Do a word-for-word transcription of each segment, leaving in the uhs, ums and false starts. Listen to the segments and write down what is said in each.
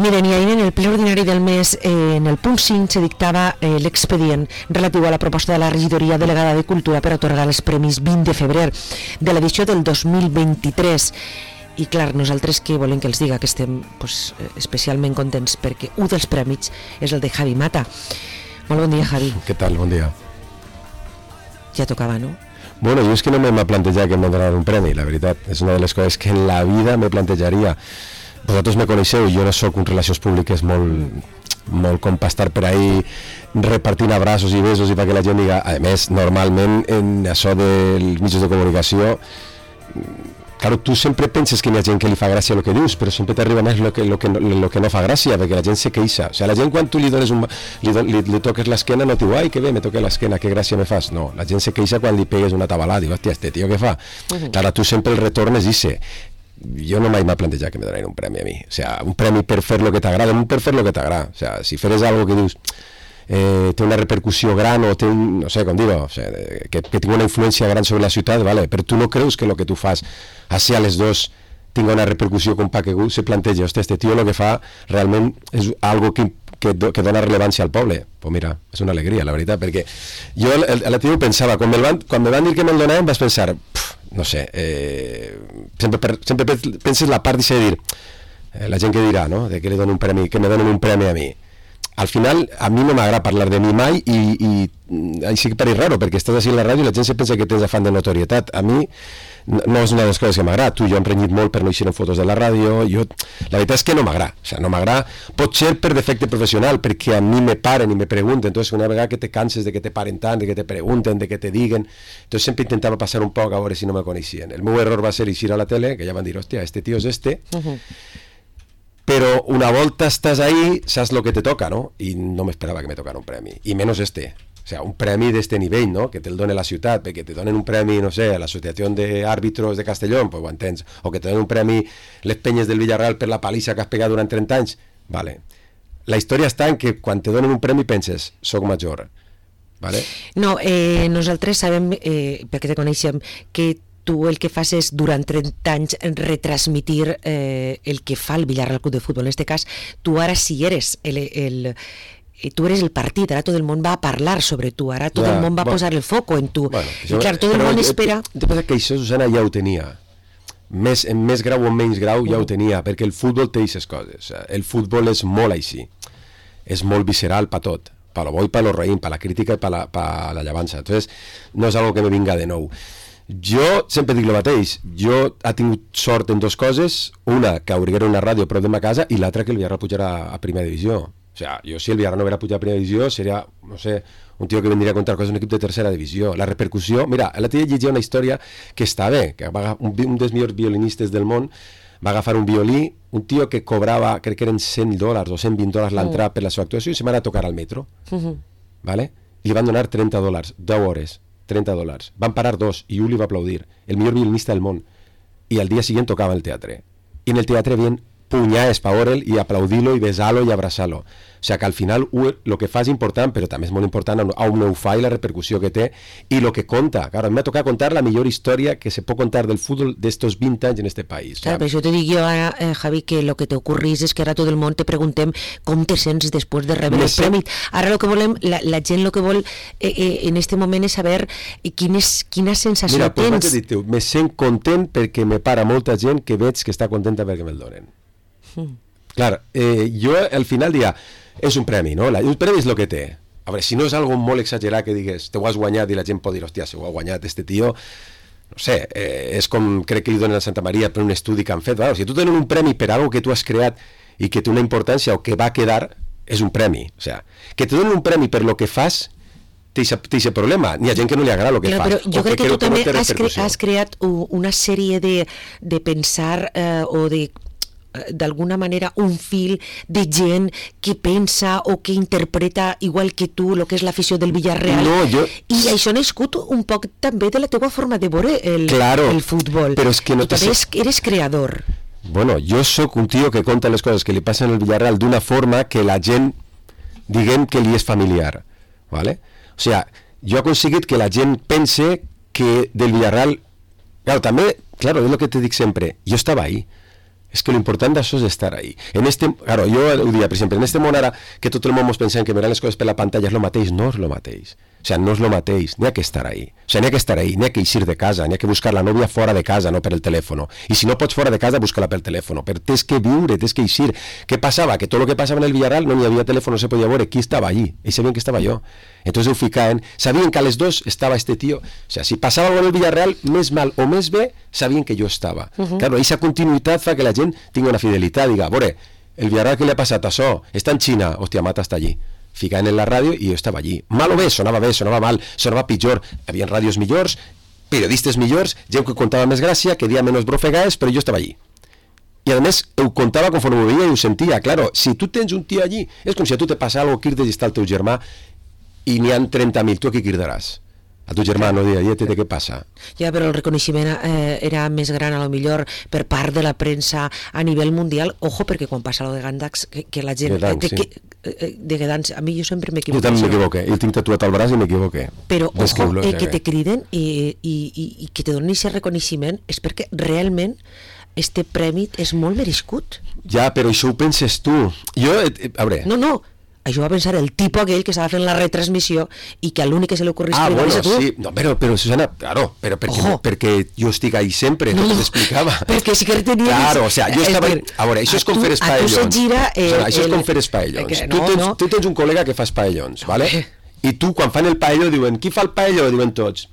Miren, i ahir en el ple ordinari del mes, eh, en el punt cinc, se dictava eh, l'expedient relatiu a la proposta de la regidoria delegada de Cultura per atorgar els premis vint de febrer de l'edició del dos mil vint-i-tres. I clar, nosaltres que volem que els diga que estem pues, especialment contents perquè un dels prèmits és el de Javi Mata. Molt bon dia, Javi. Què tal? Bon dia. Ja tocava, no? Bueno, jo és que no m'he plantejat que em donaran un premi, la veritat. És una de les coses que en la vida me plantejaria. Vosaltres me coneixeu, jo no sóc un relacions públiques molt, molt com per estar per ahí repartint abraços i besos i perquè la gent diga. A més, normalment en això dels mitjans de comunicació, claro, tu sempre penses que hi ha gent que li fa gràcia el que dius, però sempre t'arriba més el que, lo que, lo que no fa gràcia, perquè la gent se queixa. O sigui, la gent quan tu li dones un, li, li, li toques l'esquena no et diu, ai, que bé, me toque l'esquena, que gràcia me fas. No, la gent se queixa quan li pegues una tabalada, diu, hòstia, este tio què fa? Uh-huh. Clar, tu sempre el retornes i sé. Jo no mai m'ha plantejat que me donaran un premi a mi. O sea, un premi per fer lo que t'agrada, un per fer lo que t'agrada. O sea, si feres algo que dius eh, té una repercussió gran o té un, no sé com dir-ho, o sea, que, que tingui una influència gran sobre la ciutat, vale, però tu no creus que lo que tu fas així a les dos tinga una repercussió com pa que algú se planteja, hòstia, este tio lo que fa realment és algo que, que, que dona rellevància al poble. Pues mira, és una alegria, la veritat, perquè jo a la tio pensava, quan me van, quan me van dir que me'l donaven vas pensar, pff, no sé, eh, sempre, per, sempre penses la part de dir, eh, la gent que dirà, no?, de que li donen un premi, que me donen un premi a mi. Al final, a mi no m'agrada parlar de mi mai i, i així que pareix raro, perquè estàs així a la ràdio i la gent se pensa que tens afany de notorietat. A mi no, no és una de les coses que m'agrada. Tu i jo hem renyit molt per no eixir en fotos de la ràdio. Jo, la veritat és que no m'agrada. O sigui, no m'agrada. Pot ser per defecte professional, perquè a mi me paren i me pregunten. Entonces, una vegada que te canses de que te paren tant, de que te pregunten, de que te diguen, entonces sempre intentava passar un poc a veure si no me coneixien. El meu error va ser eixir a la tele, que ja van dir, hòstia, este tio és este, uh-huh. Però una volta estàs ahí, saps lo que te toca, ¿no? I no m'esperava que me tocara un premi, i menys este. O sea, un premi d'este nivell, ¿no? Que te'l done la ciutat, perquè te donen un premi, no sé, a l'Associació d'Àrbitros de Castellón, pues ho entens, o que te donen un premi les penyes del Villarreal per la palissa que has pegat durant trenta anys, vale. La història està en que quan te donen un premi penses, soc major, vale? No, eh, nosaltres sabem, eh, perquè te coneixem, que tu el que fas és, durant trenta anys, retransmitir eh, el que fa el Villarreal Club de Futbol. En aquest cas, tu ara sí eres el, el, tu eres el partit, ara tot el món va a parlar sobre tu, ara tot ja, el món va a posar el foco en tu. Bueno, I clar, tot el món espera... El que passa que això, Susana, ja ho tenia. Més, en més grau o en menys grau ja ho tenia, perquè el futbol té aquestes coses. El futbol és molt així. És molt visceral per tot. Per lo bo i per lo raïm, per la crítica i per la, per la llavança. Entonces, no és algo que me vinga de nou. Jo sempre dic el mateix, jo ha tingut sort en dues coses, una que obriguera una ràdio prop de ma casa i l'altra que el Villarreal pujarà a primera divisió. O sea, jo si el Villarreal no hubiera pujat a primera divisió seria, no sé, un tio que vendria a contar coses d'un equip de tercera divisió. La repercussió, mira, l'altre dia llegia una història que està bé, que va, un, un dels millors violinistes del món va agafar un violí, un tio que cobrava, crec que eren cent dòlars o cent vint dòlars l'entrada per la seva actuació i se va a tocar al metro, uh-huh. ¿Vale? I li van donar trenta dòlars, deu hores. trenta dòlars. Van parar dos i un li va aplaudir, el millor violinista del món. I al dia siguiente tocava el teatre. I en el teatre havien punyades pa veure'l i aplaudir-lo i besar-lo i abraçar-lo. O sigui que al final el que fa és important, però també és molt important on ho fa i la repercussió que té i el que conta. Claro, a mi m'ha tocat contar la millor història que se pot contar del futbol d'estos vint anys en este país. Claro, però això te dic jo ara, eh, Javi, que lo que te ocurrís és que ara tot el món te preguntem com te sents després de rebre el premi. Ara lo que volem, la, la gent lo que vol eh, eh, en este moment és saber eh, quin és, quina sensació Mira, tens. Mira, pues dir-te, me sent content perquè me para molta gent que veig que està contenta perquè me'l donen. Mm. Clar, eh, jo al final dia és un premi, no? La, un premi és el que té. A veure, si no és algo molt exagerat que digues, te ho has guanyat i la gent pot dir, hòstia, si ho ha guanyat este tio, no sé, eh, és com crec que li donen a Santa Maria per un estudi que han fet. Bueno, si tu tenen un premi per algo que tu has creat i que té una importància o que va quedar, és un premi. O sea, que te donen un premi per lo que fas, té aquest problema. N'hi ha gent que no li agrada el que claro, fas. Però jo crec que, que tu també has, cre has creat una sèrie de, de pensar eh, o de d'alguna manera un fil de gent que pensa o que interpreta igual que tu el que és l'afició del Villarreal no, jo... i això ha nascut un poc també de la teva forma de veure el, claro, el futbol però és que no tu també eres creador. Bueno, jo sóc un tio que conta les coses que li passen al Villarreal d'una forma que la gent diguem que li és familiar, ¿vale? O sea, jo he aconseguit que la gent pense que del Villarreal, claro, també, claro, és el que te dic sempre, jo estava ahí. És que l'important d'això és estar ahí. En este, claro, jo ho dia, per exemple, en este món ara que tot el món ens pensem que mirar les coses per la pantalla és el mateix, no és el mateix. O sea, no és el mateix, n'hi ha que estar ahí. O sea, n'hi ha que estar ahí, n'hi ha que eixir de casa, n'hi ha que buscar la nòvia fora de casa, no per el telèfon. I si no pots fora de casa, busca-la pel telèfon. Però tens que viure, tens que eixir. Què passava? Que tot el que passava en el Villarreal no n'hi havia telèfon, no se podia veure qui estava allí. Ells sabien que estava jo. Entonces ho ficaven, sabien que a les dos estava este tio. O sea, si passava alguna cosa en el Villarreal, més mal o més bé, sabien que jo estava. Uh-huh. Claro, aquesta continuïtat fa que la gent tingui una fidelitat, diga, a veure, el Villarreal que li ha passat això? Està en Xina, hòstia, Mata està allí. Ficaven en la ràdio i jo estava allí. Mal o bé, sonava bé, sonava mal, sonava pitjor. Hi havia ràdios millors, periodistes millors, gent que contava més gràcia, que dia menys brofegades, però jo estava allí. I a més, ho contava conforme ho veia i ho sentia. Claro, si tu tens un tio allí, és com si a tu te passa alguna cosa, crides i està el teu germà i n'hi ha trenta mil, tu aquí cridaràs? A tu germà no dirà, què què passa? Ja, però el reconeixement eh, era més gran, a lo millor, per part de la premsa a nivell mundial. Ojo, perquè quan passa lo de Gandax, que, que la gent... Gedanx, de, sí. que, eh, de Gedanx, a mi jo sempre m'equivoco. Jo també m'equivoqué, jo tinc tatuat al braç i m'equivoqué. Però, ojo, eh, que te criden i, i, i, i que te donen aquest reconeixement és perquè realment este premi és molt merescut. Ja, però això ho penses tu. Jo, eh, a veure... No, no, això va pensar el tipo aquell que estava fent la retransmissió i que a l'únic que se li ocorria ah, escriure bueno, és a tu. sí, no, però, però Susana, claro, però perquè, perquè jo estic ahí sempre, no, no t'explicava. Perquè sí que tenies... Claro, o sea, jo estava... A veure, això és com fer espaellons. A tu se gira... Eh, Susana, això el... és com fer espaellons. Que, tu, no, tens, no. tu tens un col·lega que fa espaellons, ¿vale? I tu, quan fan el paelló, diuen, qui fa el paelló? Diuen tots,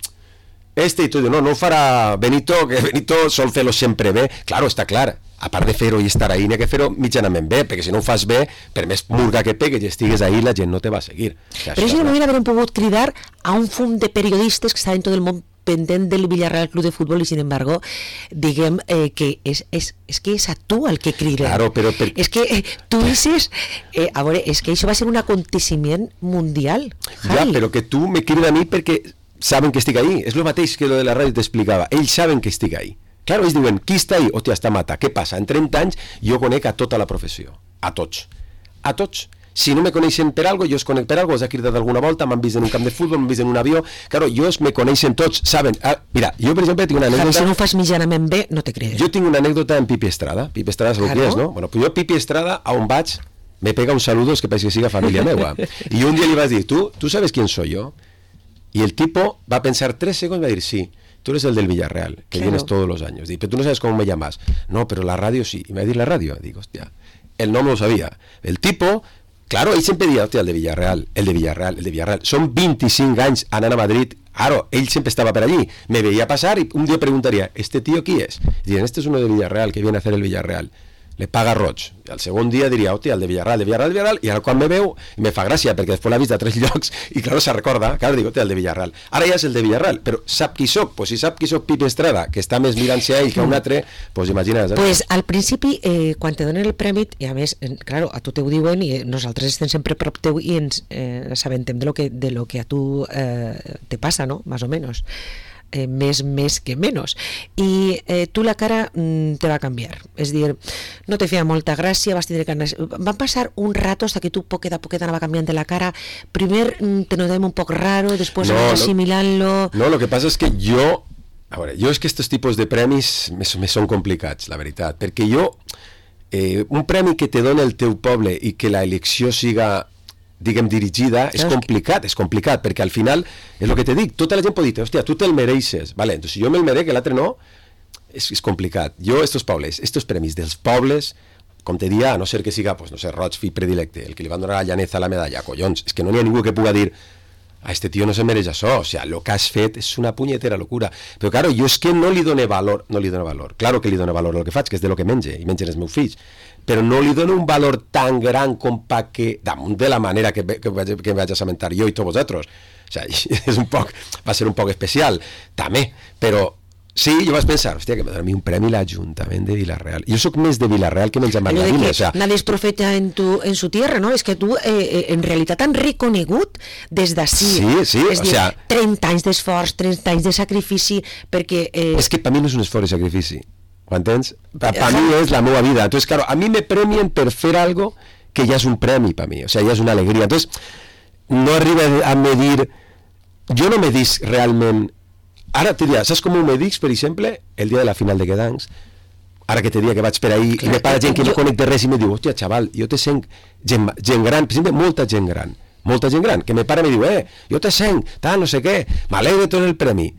este, i tu dius, no, no ho farà Benito, que Benito sol fer-lo sempre bé. Claro, està clar. A part de fer-ho i estar ahí, n'hi ha que fer-ho mitjanament bé, perquè si no ho fas bé, per més murga que pegues i estigues ahí, la gent no te va a seguir. O sea, però això no hauria pogut cridar a un fum de periodistes que estaven tot el món pendent del Villarreal Club de Fútbol i, sin embargo, diguem eh, que és, és, és que és a tu el que criden. Claro, però per... És que eh, tu dices... Eh, a veure, és que això va ser un aconteciment mundial, Javi. Ja, però que tu me criden a mi perquè saben que estic ahí. És el mateix que lo de la ràdio t'explicava. Ells saben que estic ahí. Claro, ells diuen, qui està ahí? Hòstia, està Mata. Què passa? En trenta anys jo conec a tota la professió. A tots. A tots. Si no me coneixen per algo, jo es conec per algo, els ha cridat alguna volta, m'han vist en un camp de futbol, m'han vist en un avió. Claro, jo me coneixen tots, saben. Ah, mira, jo, per exemple, tinc una anècdota... Si no ho fas mitjanament bé, no te criden. Jo tinc una anècdota en Pipi Estrada. Pipi Estrada és el que és, no? Bueno, pues jo, Pipi Estrada, a on vaig, me pega un saludo, es que parece que siga familia meua. Y un día le vas a decir, ¿tú, ¿tú sabes quién soy yo? Y el tipo va a pensar tres segundos y va a decir, sí, tú eres el del Villarreal, que claro. Vienes todos los años. Dice, pero tú no sabes cómo me llamas. No, pero la radio sí. Y me va a decir la radio. Digo, hostia, él no me lo sabía. El tipo, claro, él siempre decía, hostia, el de Villarreal, el de Villarreal, el de Villarreal. Son veinticinc anys anant a Madrid. Claro, él siempre estaba por allí. Me veía pasar y un día preguntaría, ¿este tío quién es? Y dicen, este es uno de Villarreal, que viene a hacer el Villarreal. Le paga roig. I al segon dia diria, hòstia, el de Villarreal, de Villarreal, de Villarreal, i ara quan me veu, me fa gràcia, perquè després l'ha vist a tres llocs, i claro, se recorda, claro, dic, hòstia, el de Villarreal. Ara ja és el de Villarreal, però sap qui soc? Pues si sap qui soc Pipi Estrada, que està més mirant-se a ell que a un altre, pues imagina't. Eh? Pues al principi, eh, quan te donen el premi, i a més, eh, claro, a tu te ho diuen, i nosaltres estem sempre prop teu i ens eh, sabentem de lo que, de lo que a tu eh, te passa, no? Más o menos. Eh, més, més que menys i eh, tu la cara mm, te va canviar, és dir, no te feia molta gràcia, vas tindre ganes, van passar un rato hasta que tu poquet a poquet anava canviant de la cara, primer mm, te notem un poc raro, després no, vas assimilant-lo. No, lo que passa és que jo a veure, jo és que estos tipus de premis me, me són complicats, la veritat, perquè jo eh, un premi que te dona el teu poble i que la elecció siga diguem, dirigida, és complicat, és complicat, perquè al final, és el que te dic, tota la gent pot dir, hòstia, tu te'l mereixes, vale, entonces si jo me'l merec, l'altre no, és, és complicat. Jo, estos pobles, estos premis dels pobles, com te dia, a no ser que siga, pues, no sé, Roig, fill predilecte, el que li van donar a Llaneza la medalla, collons, és que no n'hi ha ningú que puga dir, a este tío no se mereix això, o sea, lo que has fet és una punyetera locura. Però, claro, jo és que no li done valor, no li done valor, claro que li done valor el que faig, que és de lo que menge, i mengen els meus fills, però no li dono un valor tan gran com pa que, damunt de la manera que, que, vaig, que vaig a assabentar jo i tots vosaltres. O sea, és un poc, va ser un poc especial, també, però sí, jo vaig pensar, hòstia, que m'ha donat a mi un premi l'Ajuntament de Villarreal. Jo sóc més de Villarreal que menys a Margarines. O sea, nadie es profeta en, tu, en su tierra, ¿no? Es que tu, eh, en realitat, han reconegut des d'ací. Sí, sí, és o dir, sea... trenta anys d'esforç, trenta anys de sacrifici, perquè... Eh... És que per mi no és un esforç i sacrifici. ¿Ho entens? Per pa mi és la meva vida. Entonces, claro, a mi me premien per fer algo que ja és un premi per mi, o sea, ja és una alegria. Entonces, no arriba a medir... Jo no me dic realment... Ara te dirà, saps com ho me dic, per exemple, el dia de la final de Gedanx? ara que te dia que vaig per ahir, clar, i me para gent que jo... no conec de res i me diu, hòstia, xaval, jo te sent gent, gent gran, per exemple, molta gent gran, molta gent gran, que me para i me diu, eh, jo te sent, tal, no sé què, m'alegre tot el premi.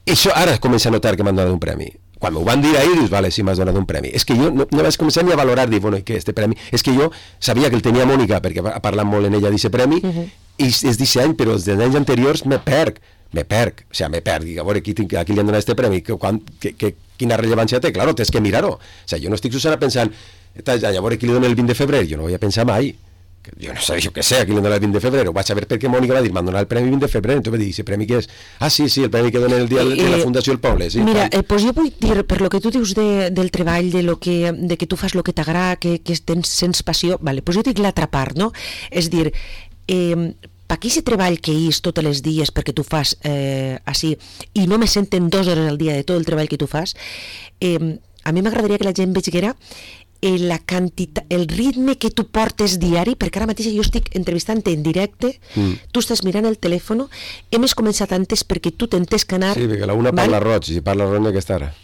I això ara comença a notar que m'han donat un premi. Quan m'ho van dir ahir, dius, vale, sí, m'has donat un premi. És que jo no, no vaig començar ni a valorar, dir, bueno, i què, este premi? És que jo sabia que el tenia Mònica, perquè ha parlat molt en ella d'aquest premi, uh-huh. i és d'aquest any, però els anys anteriors me perc, me perc, o sigui, me perc, dic, a veure, aquí, aquí li han donat este premi, que, quan, que, que, quina rellevància té? Claro, tens que mirar-ho. O sigui, jo no estic, Susana, pensant, a veure, qui li dona el vint de febrer? Jo no voy a pensar mai. Jo no sé, jo què sé, a qui li dona el vint de febrer. Ho vaig saber perquè Mònica va dir, m'han donat el premi vint de febrer. Entonces vaig dir, ¿ese premi què és? Ah, sí, sí, el premi que dona el dia de la Fundació El Poble. Sí, mira, eh, pues jo vull dir, per lo que tu dius de, del treball, de, lo que, de que tu fas el que t'agrada, que, que tens sents passió, vale, pues jo dic l'altra part, no? És dir, eh, per aquí aquest treball que és tots els dies perquè tu fas eh, així, i no me senten dues hores al dia de tot el treball que tu fas, eh, a mi m'agradaria que la gent vegera la quantitat, el ritme que tu portes diari, perquè ara mateix jo estic entrevistant en directe, mm. tu estàs mirant el telèfon, hem començat antes perquè tu t'entens que anar... Sí, perquè la una parla roig, i parla roig aquesta hora.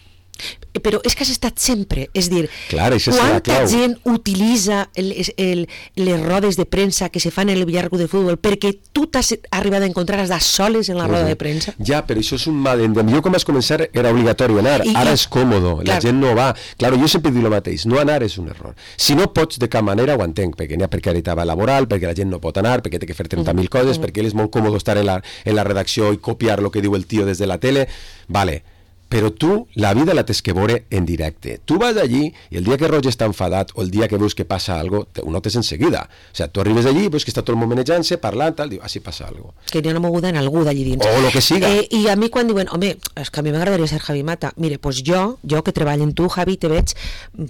Però és que has estat sempre, és dir, clar, quanta gent utilitza el, el, les rodes de premsa que se fan en el Villarreal de Futbol perquè tu t'has arribat a encontrar a soles en la roda de premsa? Ja, però això és un mal endem. Jo quan vaig començar era obligatori anar, I, ara és còmodo, la clar. gent no va. Claro, jo sempre dic el mateix, no anar és un error. Si no pots, de cap manera ho entenc, perquè n'hi ha precarietat laboral, perquè la gent no pot anar, perquè té que fer trenta mil coses, uh-huh. perquè és molt còmode estar en la, en la redacció i copiar el que diu el tio des de la tele, vale. Però tu, la vida la tens que veure en directe. Tu vas allí i el dia que Roger està enfadat o el dia que veus que passa algo, ho notes en seguida. O sigui, tu arribes allí, veus que està tot el món manejant-se, parlant, tal, diu, ah, sí passa algo. Que n'hi ha una moguda en algú d'allí dins. O el que siga. Eh, I a mi quan diuen, home, és que a mi m'agradaria ser Javi Mata. Mire, pues jo, jo que treballo en tu, Javi, te veig,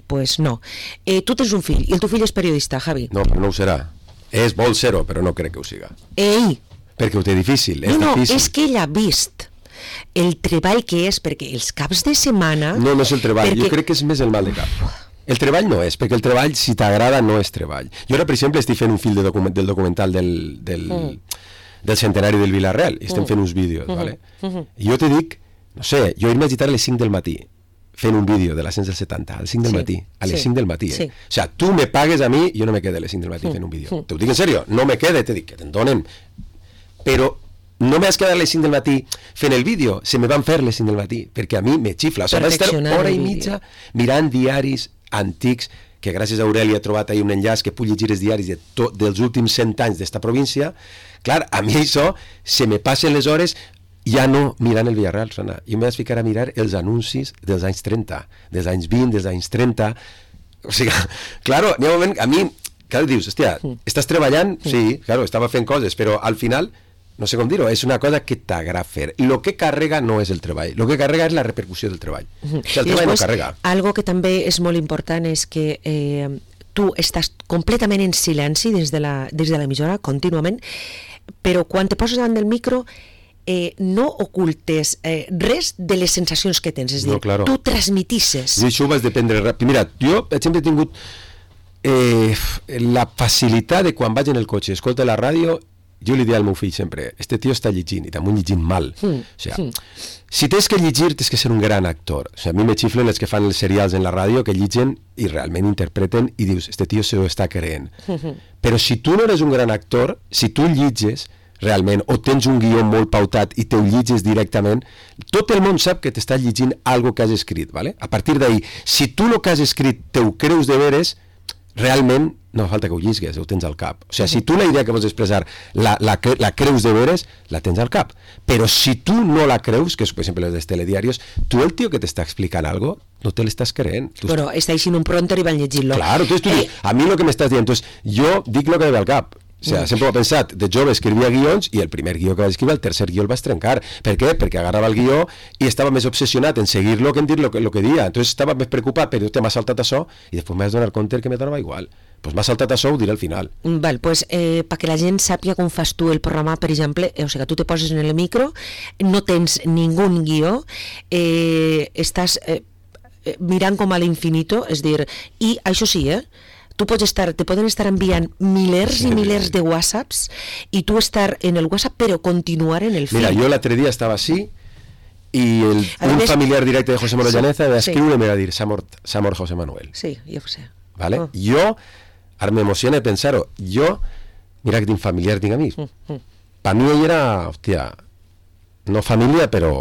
pues no. Eh, tu tens un fill, i el teu fill és periodista, Javi. No, però no ho serà. És, vol ser-ho, però no crec que ho siga. Ei! Perquè ho té difícil, és no, difícil. No, és que ell ha vist el treball que és, perquè els caps de setmana... No, no és el treball, perquè... jo crec que és més el mal de cap. El treball no és, perquè el treball, si t'agrada, no és treball. Jo ara, per exemple, estic fent un fil de document, del documental del, del, mm. del centenari del Villarreal, i estem mm. fent uns vídeos, mm. ¿vale? Mm-hmm. I jo te dic, no sé, jo irme a agitar a les cinc del matí, fent un vídeo de l'ascens del setanta, a les cinc del sí. matí, a les sí. cinc del matí, eh? Sí. O sea, tu me pagues a mi, jo no me quede a les cinc del matí mm. fent un vídeo. Mm. Te ho dic en sèrio, no me quede, te dic que te'n donen. Però no m'has quedat a les cinc del matí fent el vídeo, se me van fer les cinc del matí, perquè a mi me xifla. O sigui, vaig estar hora i mitja mirant diaris antics, que gràcies a Aurelia he trobat ahir un enllaç que puc llegir els diaris de to, dels últims cent anys d'esta província. Clar, a mi això se me passen les hores ja no mirant el Villarreal, Sana. Jo m'he de ficar a mirar els anuncis dels anys trenta, dels anys vint, dels anys trenta. O sigui, claro, n'hi ha un moment, a mi, clar, dius, hòstia, estàs treballant? Sí, claro, estava fent coses, però al final no sé com dir-ho, és una cosa que t'agrada fer. Lo que carrega no és el treball, lo que carrega és la repercussió del treball. Uh-huh. O sigui, el treball després, no carrega. Algo que també és molt important és que eh, tu estàs completament en silenci des de la, des de l'emissora, contínuament, però quan te poses davant del micro eh, no ocultes eh, res de les sensacions que tens, és dir, no, claro. Tu transmitisses. I això ho vas dependre ràpid. Mira, jo sempre he tingut eh, la facilitat de quan vaig en el cotxe, escolta la ràdio, jo li dic al meu fill sempre, este tio està llegint, i també llegint mal. Mm. O sigui, mm. si tens que llegir, tens que ser un gran actor. O sigui, a mi me xiflen els que fan els serials en la ràdio, que lligen i realment interpreten, i dius, este tio se ho està creent. Mm-hmm. Però si tu no eres un gran actor, si tu lliges realment, o tens un guió molt pautat i te ho lliges directament, tot el món sap que t'estàs llegint algo que has escrit, ¿vale? A partir d'ahí, si tu el que has escrit te ho creus de veres, realment no falta que ho llisgues, ho tens al cap. O sigui, si tu la idea que vols expressar la, la, la creus de veres, la tens al cap. Però si tu no la creus, que és, per exemple, els telediarios, tu el tio que t'està explicant algo, no te l'estàs creent. Tu Però està així en un pronter i van llegir-lo. Claro, tu, tu, eh... a mi el que m'estàs dient, entonces, jo dic el que ve al cap. O sigui, sempre ho he pensat, de jove escrivia guions i el primer guió que vaig escriure, el tercer guió el vaig trencar. Per què? Perquè agarrava el guió i estava més obsessionat en seguir-lo que en dir lo que, lo que dia. Entonces estava més preocupat, però te m'ha saltat això i després m'has donat compte que me donava igual. Pues m'ha saltat això, ho diré al final. Val, pues eh, perquè la gent sàpiga com fas tu el programa, per exemple, eh, o sigui, tu te poses en el micro, no tens ningú guió, eh, estàs eh, mirant com a l'infinito, és dir, i això sí, eh, tu pots estar, te poden estar enviant milers sí. i milers de whatsapps i tu estar en el WhatsApp però continuar en el fil. Mira, jo l'altre dia estava així i el, un més, familiar directe de José Manuel sí, Llaneza va escriure sí. i me va dir s'ha mort, s'ha mort José Manuel. Sí, jo ho sé. Vale? Oh. Jo, ara m'emociona pensar-ho, jo, mira que tinc familiar, tinc amics. Mm, mm. Per mi ell era, hòstia, no família, però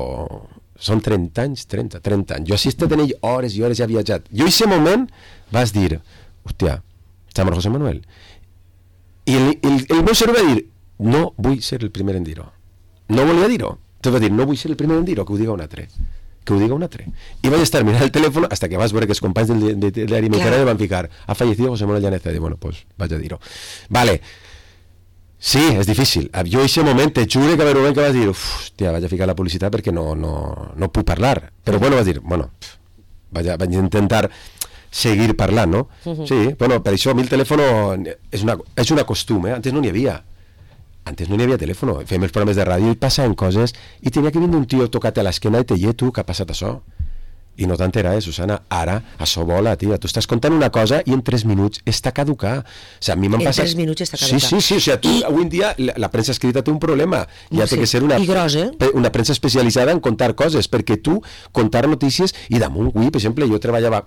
són trenta anys, trenta, trenta anys. Jo assistit en ell hores i hores, ja he viatjat. Jo en aquest moment vas dir, hòstia, s'ha mort José Manuel. I el, el, el meu cervell va dir, no vull ser el primer en dir-ho. No volia dir-ho. Tu vas dir, no vull ser el primer en dir-ho, que ho diga un altre. Que ho diga un altre. I vaig estar mirant el telèfon hasta que vas veure que els companys del de, de, de l'Arimecana van ficar, ha fallecido José Manuel Llaneza. I dic, bueno, pues vaig a dir-ho. Vale. Sí, és difícil. Jo en aquest moment te jure que va haver un moment que vas dir, hòstia, vaig a ficar la publicitat perquè no, no, no puc parlar. Però bueno, vas dir, bueno, vaig, a, vaig a intentar seguir parlant, no? Uh-huh. Sí, bueno, per això a mi el telèfon és una, és una costum, eh? Antes no n'hi havia. Antes no n'hi havia telèfon, fèiem els programes de ràdio i passaven coses i tenia que vindre un tio tocat a l'esquena i te diu, tu, que ha passat això? I no t'enteraves, Susana, ara això vola, tia, tu estàs contant una cosa i en tres minuts està caducar. O sigui, a mi m'han passat... En tres minuts està caducar. Sí, sí, sí, o sigui, tu, I... avui en dia la, la premsa escrita té un problema, ja no té sé. que ser una, gros, eh? una premsa especialitzada en contar coses, perquè tu contar notícies i damunt, avui, per exemple, jo treballava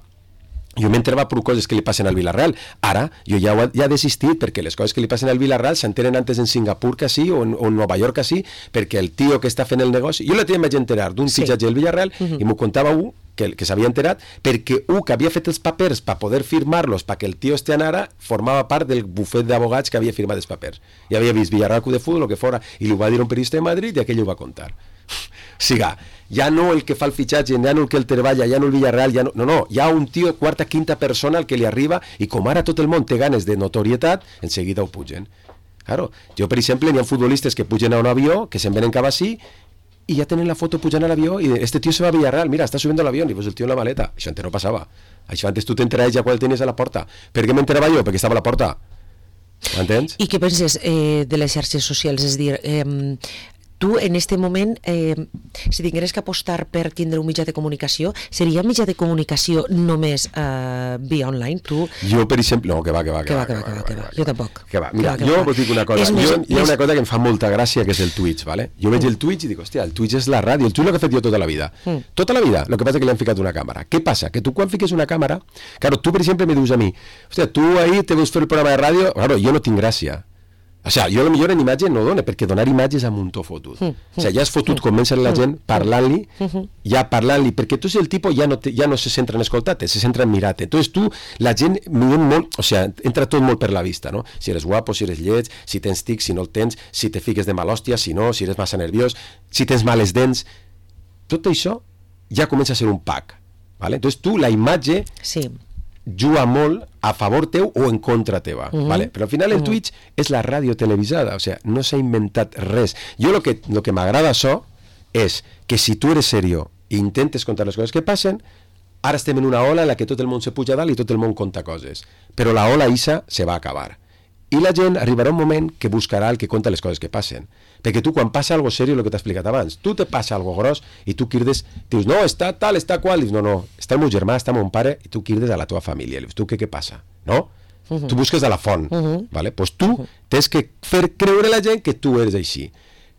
jo m'entrava per coses que li passen al Villarreal. Ara, jo ja, ho, ja he desistit perquè les coses que li passen al Villarreal s'entenen antes en Singapur que sí, o en, o en Nova York que sí, perquè el tio que està fent el negoci... Jo la tia em vaig enterar d'un sí. fitxatge del Villarreal uh-huh. i m'ho contava un que, que s'havia enterat perquè un que havia fet els papers per poder firmar-los perquè el tio este anara formava part del bufet d'abogats que havia firmat els papers. I havia vist Villarreal Club de Futbol, el que fora, i li ho va dir un periodista de Madrid i aquell ho va contar. Siga, ja no el que fa el fitxatge, ja no el que el treballa, ja no el Villarreal, ja no, no, no, hi ha un tio quarta, quinta persona al que li arriba i com ara tot el món té ganes de notorietat, en seguida ho pugen. Claro, jo per exemple n'hi ha futbolistes que pugen a un avió, que se'n venen cap així i ja tenen la foto pujant a l'avió i este tio se va a Villarreal, mira, està subiendo a l'avió i pues el tio en la maleta, això antes no passava, això antes tu t'enteraves ja quan el tenies a la porta. Per què m'enterava jo? Perquè estava a la porta, m'entens? I què penses eh, de les xarxes socials? És dir, eh, tu en este moment, eh, si tingueres que apostar per tindre un mitjà de comunicació, seria mitjà de comunicació només eh, via online? Tu... Jo, per exemple, no, que va, que va, que va, que va, que va, que va, jo tampoc. Que va, mira, jo vos dic una cosa, jo, hi ha una cosa que em fa molta gràcia, que és el Twitch, ¿vale? Jo veig el Twitch i dic, hòstia, el Twitch és la ràdio, el Twitch és el que he fet jo tota la vida. Mm. Tota la vida, el que passa és que li han ficat una càmera. Què passa? Que tu quan fiques una càmera, claro, tu per exemple me dius a mi, hòstia, tu ahir te veus fer el programa de ràdio, claro, jo no tinc gràcia. O sigui, jo a lo millor en imatge no dona, perquè donar imatges amb un to fotut. Mm, mm, o sigui, ja és fotut, mm, comença la gent parlant-li, mm, ja parlant-li, perquè tu és el tipus, ja no, te, ja no se centra en escoltar-te, se centra en mirar-te. Entonces tu, la gent, molt, o sigui, entra tot molt per la vista, no? Si eres guapo, si eres lleig, si tens tic, si no el tens, si te fiques de mal hòstia, si no, si eres massa nerviós, si tens males dents... Tot això ja comença a ser un pack, ¿vale? Entonces tu, la imatge... Sí. juga molt a favor teu o en contra teva, uh-huh. ¿vale? Però al final el uh-huh. Twitch és la ràdio televisada, o sea, no s'ha inventat res. Jo lo que, lo que m'agrada això és que si tu eres serio i intentes contar les coses que passen, ara estem en una ola en la que tot el món se puja dalt i tot el món conta coses, però la ola isa se va acabar. I la gent arribarà un moment que buscarà el que conta les coses que passen. Perquè tu quan passa algo serio, el que t'he explicat abans, tu te passa algo gros i tu crides, dius, no, està tal, està qual, dius, no, no, està el meu germà, està mon pare, i tu crides a la teva família, dius, tu què, què passa? No? Uh-huh. Tu busques a la font, uh-huh. ¿vale? Pues tu uh-huh. tens que fer creure a la gent que tu eres així.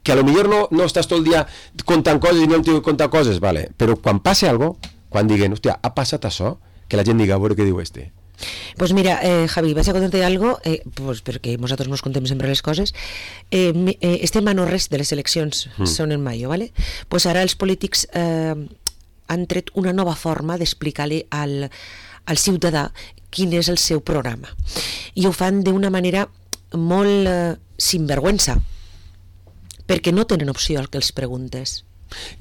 Que a lo millor no, no estàs tot el dia contant coses i no em tinc que contar coses, ¿vale? Però quan passe algo, quan diguen, hòstia, ha passat això, que la gent diga, a veure què diu este. Pues mira, eh, Javi, vas a contarte algo, eh, pues perquè nosaltres nos contem sempre les coses. Eh, eh, estem a no res de les eleccions, mm. són en maio, ¿vale? Pues ara els polítics eh, han tret una nova forma d'explicar-li al, al ciutadà quin és el seu programa. I ho fan d'una manera molt eh, sinvergüenza, perquè no tenen opció al que els preguntes.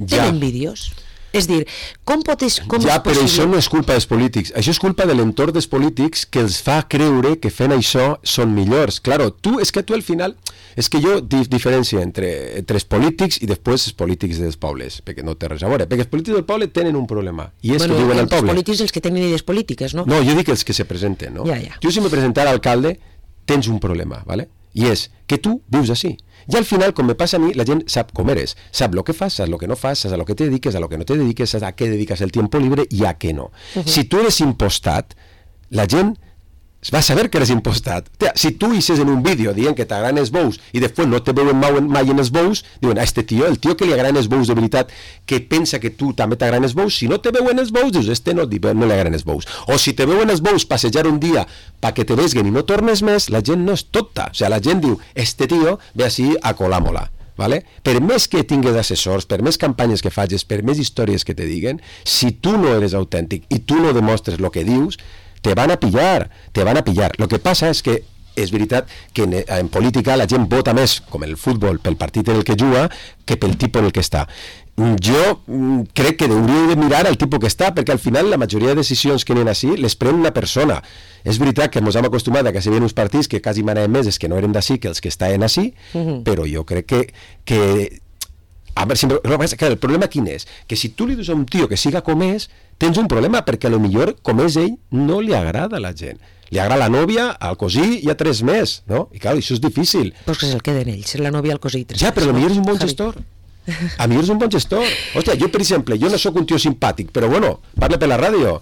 Ja. Tenen vídeos. És dir, com pot és, com ja, és possible... però això no és culpa dels polítics. Això és culpa de l'entorn dels polítics que els fa creure que fent això són millors. Claro, tu, és que tu al final... És que jo dif diferència entre, entre els polítics i després els polítics dels pobles, perquè no té res a veure. Perquè els polítics del poble tenen un problema, i és bueno, que diuen al poble. Els polítics els que tenen idees polítiques, no? No, jo dic els que se presenten, no? Ja, ja. Jo si me presentara alcalde, tens un problema, ¿vale? I és que tu vius així. I al final, com me passa a mi, la gent sap com eres, sap lo que fas, sap lo que no fas, sap a lo que te dediques, a lo que no te dediques, a què dediques el tiempo libre i a què no. Uh-huh. Si tu eres impostat, la gent va a saber que eres impostat. Tia, si tu hices en un vídeo dient que t'agraden els bous i després no te veuen mai en els bous, diuen, a este tio, el tio que li agraden els bous de veritat, que pensa que tu també t'agraden els bous, si no te veuen els bous, dius, este no, no li agraden els bous. O si te veuen els bous passejar un dia perquè te vesguen i no tornes més, la gent no és tota. O sigui, la gent diu, este tio ve així a colar-mola. Vale? Per més que tingues assessors, per més campanyes que facis, per més històries que te diguen, si tu no eres autèntic i tu no demostres el que dius, te van a pillar, te van a pillar. Lo que passa és que és veritat que en, en política la gent vota més, com el futbol, pel partit en el que juga, que pel tipus en el que està. Jo mm, crec que hauríeu de mirar el tipus que està, perquè al final la majoria de decisions que n'hi ha així les pren una persona. És veritat que ens hem acostumat a que si ven uns partits que quasi manaven més és que no eren d'ací que els que estaven així, uh-huh. però jo crec que, que a veure, sempre, el problema quin és? Que si tu li dius a un tio que siga com és, tens un problema, perquè a lo millor com és ell no li agrada a la gent. Li agrada la nòvia, al cosí i a tres més, no? I clar, això és difícil. Pues que se'l queden ells, la nòvia, el cosí i tres ja, més. però a lo millor és un bon gestor. A mi és un bon gestor. Hòstia, jo, per exemple, jo no sóc un tio simpàtic, però bueno, parla per la ràdio.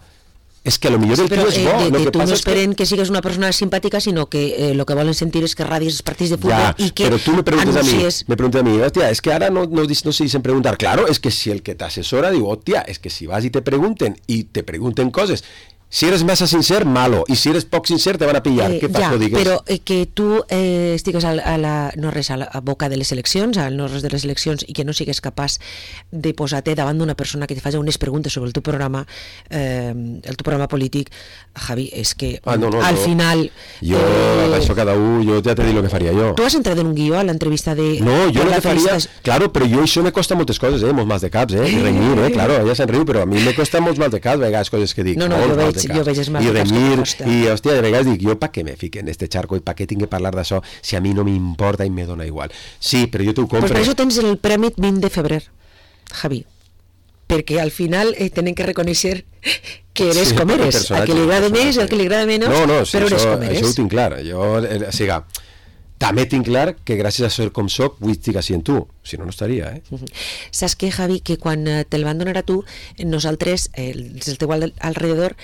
És que a lo millor el tio és bo. Eh, de, de que tu no esperen que... que sigues una persona simpàtica, sinó que eh, lo que volen sentir és que radis els partits de futbol ja, i que però tu me preguntes anuncies... a mi, me preguntes a mi, hòstia, és que ara no, no, no se dicen preguntar. Claro, és que si el que t'assessora diu, hòstia, és que si vas i te pregunten, i te pregunten coses, si eres massa sincer, malo, i si eres poc sincer te van a pillar, eh, què fas, ja, no digues? Però eh, que tu eh, estigues a, a la, no res, a la a boca de les eleccions, al no res de les eleccions, i que no sigues capaç de posar-te davant d'una persona que te faci unes preguntes sobre el teu programa, eh, el teu programa polític, Javi, és que ah, no, no, al no. final... Jo, eh, això cada un, jo ja te dic el que faria jo. Tu has entrat en un guió a l'entrevista de... No, jo el que faria... Felicita... Claro, però jo això me costa moltes coses, eh, molts mals de caps, eh, i renyir, eh, claro, ella se'n riu, però a mi me costa molts mals de caps, a vegades coses que dic. No, no, jo veig, jo veig els mals de caps. I, hòstia, de vegades dic, jo pa què me fique en este charco i pa què tinc que parlar d'això si a mi no m'importa i me dona igual. Sí, però jo t'ho compro. Pues per això tens el premi vint de febrer, Javi, perquè al final eh, tenen que reconèixer que eres sí, com eres, a que li agrada més, al que li agrada menys, no, no, sí, però eres això, com eres. Això ho tinc clar, jo, eh, o sigui, també tinc clar que gràcies a ser com soc vull estar així en tu, si no, no estaria, eh? Uh-huh. Saps què, Javi, que quan te'l van donar a tu, nosaltres, eh, els del teu al alrededor,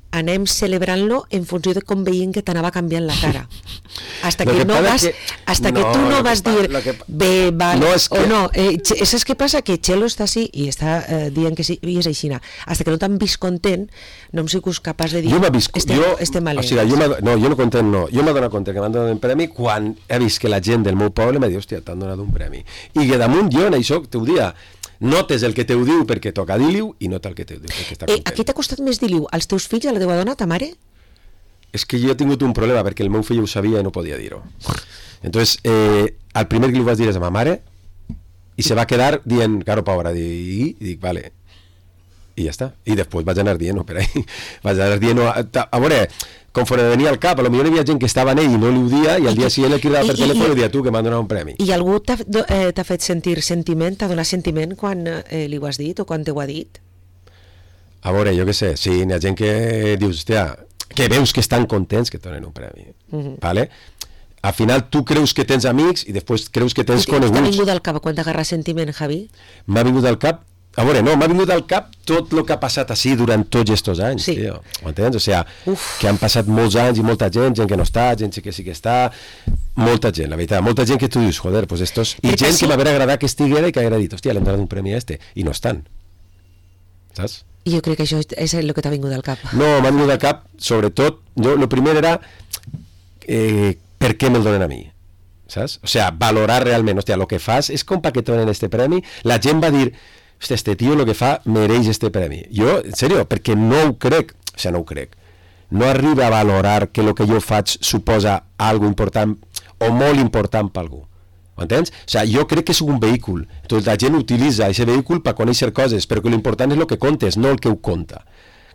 anem celebrant-lo en funció de com veiem que t'anava canviant la cara. Hasta que, que no vas, que... hasta no, que tu no vas dir que... bé, val, no, que... o no. Eh, saps què passa? Que Chelo està així i està eh, dient que sí, i és així. Hasta que no t'han vist content, no hem sigut capaç de dir jo vist, estem, jo, estem o sigui, jo no, jo no content no. Jo m'he donat compte que m'han donat un premi quan he vist que la gent del meu poble m'ha dit, hòstia, t'han donat un premi. I que damunt jo en això t'ho dia notes el que te ho diu perquè toca dir-li-ho i nota el que te ho diu perquè està content. Eh, a qui t'ha costat més dir-li-ho? Als teus fills, a la teva dona, a ta mare? És que jo he tingut un problema perquè el meu fill ho sabia i no podia dir-ho. Entonces, eh, el primer que li vas dir és a ma mare i se va quedar dient, caro, pobra, i, i dic, vale. I ja està. I després vaig anar dient-ho per ahí. Vaig anar dient-ho. A, a veure, conforme venia al cap, a lo millor hi havia gent que estava en ell i no li ho dia i al dia siguiente el cridava per telèfon i dia tu que m'han donat un premi. I algú t'ha eh, fet sentir sentiment, t'ha donat sentiment quan eh, li ho has dit o quan t'ho ha dit? A veure, jo què sé, sí, hi ha gent que dius, hòstia, que veus que estan contents que et donen un premi, uh-huh. ¿Vale? Al final tu creus que tens amics i després creus que tens coneguts. T'ha vingut al cap quan t'agarra sentiment, Javi? M'ha vingut al cap A veure, no, m'ha vingut al cap tot el que ha passat així durant tots aquests anys, sí. Tio. M'entens? O sigui, Uf. que han passat molts anys i molta gent, gent que no està, gent que sí que està, molta gent, la veritat, molta gent que tu dius, joder, pues estos... I Perquè gent sí. que m'haver agradat que estiguera i que haguera dit, hòstia, l'hem donat un premi a este, i no estan. Saps? Jo crec que això és el que t'ha vingut al cap. No, m'ha vingut al cap, sobretot, jo, el primer era eh, per què me'l donen a mi, saps? O sigui, valorar realment, hòstia, el que fas és com perquè et donen este premi, la gent va dir, hòstia, este tio el que fa mereix este premi. Jo, en sèrio, perquè no ho crec, o sigui, no ho crec, no arriba a valorar que el que jo faig suposa algo important o molt important per algú. M'entens? O sigui, jo crec que és un vehicle. Entonces, la gent utilitza aquest vehicle per conèixer coses, però que l'important és el que contes, no el que ho conta.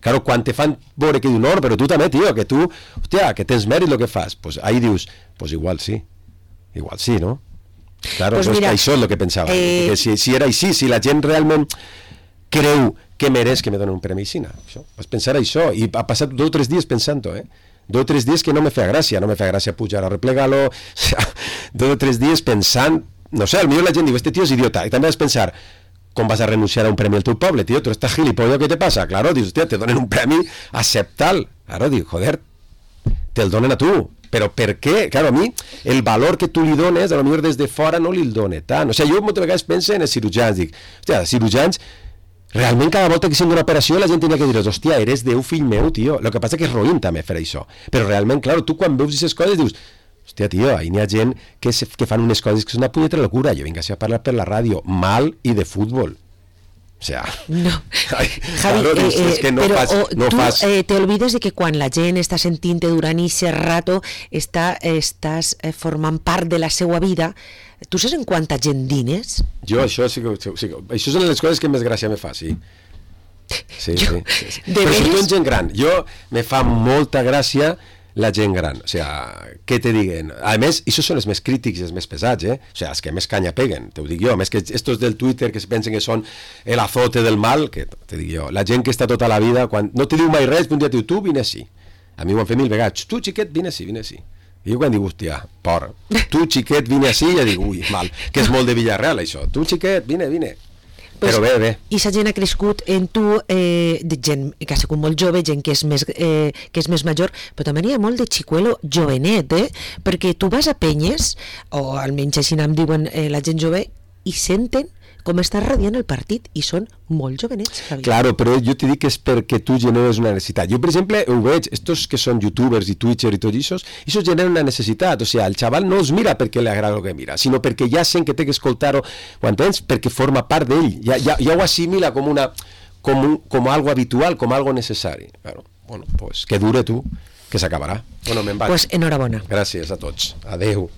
Claro, quan te fan veure que diu, no, però tu també, tio, que tu, hòstia, que tens mèrit el que fas, pues ahí dius, pues igual sí, igual sí, no? Claro, pues mira, això és el que pensava. Eh... Que si, si era així, si la gent realment creu que mereix que me donen un premi així, això, vas pensar això, i ha passat dos o tres dies pensant-ho, eh? Dos o tres dies que no me feia gràcia, no me feia gràcia pujar a replegar-lo, o sea, dos o tres dies pensant, no sé, potser la gent diu, este tio és idiota, i també vas pensar, com vas a renunciar a un premi al teu poble, tio, tu estàs gilipollo, què te passa? Claro, dius, hòstia, te donen un premi, acepta'l. Claro, diu, joder, te'l donen a tu. Però per què? Claro, a mi, el valor que tu li dones, a lo millor des de fora no li el dona tant. O sigui, jo moltes vegades penso en els cirurgians, dic, hòstia, els cirurgians, realment cada volta que sent una operació la gent tenia que dir, hòstia, eres Déu, fill meu, tio. El que passa que és roïn també fer això. Però realment, claro, tu quan veus aquestes coses dius, hòstia, tio, ahí n'hi ha gent que, se, que fan unes coses que són una punyetera locura. Jo vinc a parlar per la ràdio, mal i de futbol. O sea, no. Ay, Javi, claro, eh, es que no pero fas, o, no tú fas... eh, te olvides de que quan la gent està sentint-te durant aquest rato està, estàs eh, formant part de la seva vida. Tu saps en quanta gent dines? Jo això sí que, sí que... Això són les coses que més gràcia me fa, sí. Sí, jo, sí, sí, sí. Però sobretot en gent gran. Jo me fa molta gràcia la gent gran, o sea, què te diguen? A més, això són els més crítics i els més pesats, eh? O sea, els que més canya peguen, te ho dic jo. A més que estos del Twitter que se pensen que són el azote del mal, que te dic jo, la gent que està tota la vida, quan no te diu mai res, un dia te diu, tu vine així. A mi ho han fet mil vegades, tu xiquet, vine així, vine així. I jo quan dic, hòstia, por, tu xiquet, vine així, ja dic, ui, mal, que és molt de Villarreal això, tu xiquet, vine, vine. Pues, però bé, bé. I sa gent ha crescut en tu, eh, de gent que ha sigut molt jove, gent que és més, eh, que és més major, però també hi ha molt de xicuelo jovenet, eh? Perquè tu vas a penyes, o almenys així em diuen eh, la gent jove, i senten com està radiant el partit, i són molt jovenets, Javi. Claro, però jo t'he dit que és perquè tu generes una necessitat. Jo, per exemple, ho veig, estos que són youtubers i twitcher i tot això, això genera una necessitat. O sigui, el xaval no els mira perquè li agrada el que mira, sinó perquè ja sent que té que escoltar-ho, ho entens? Perquè forma part d'ell. Ja, ja, ja ho assimila com una com, un, com algo habitual, com algo necessari. Claro. Bueno, pues que dure tu, que s'acabarà. Bueno, me'n vaig. Pues enhorabona. Gràcies a tots. Adeu.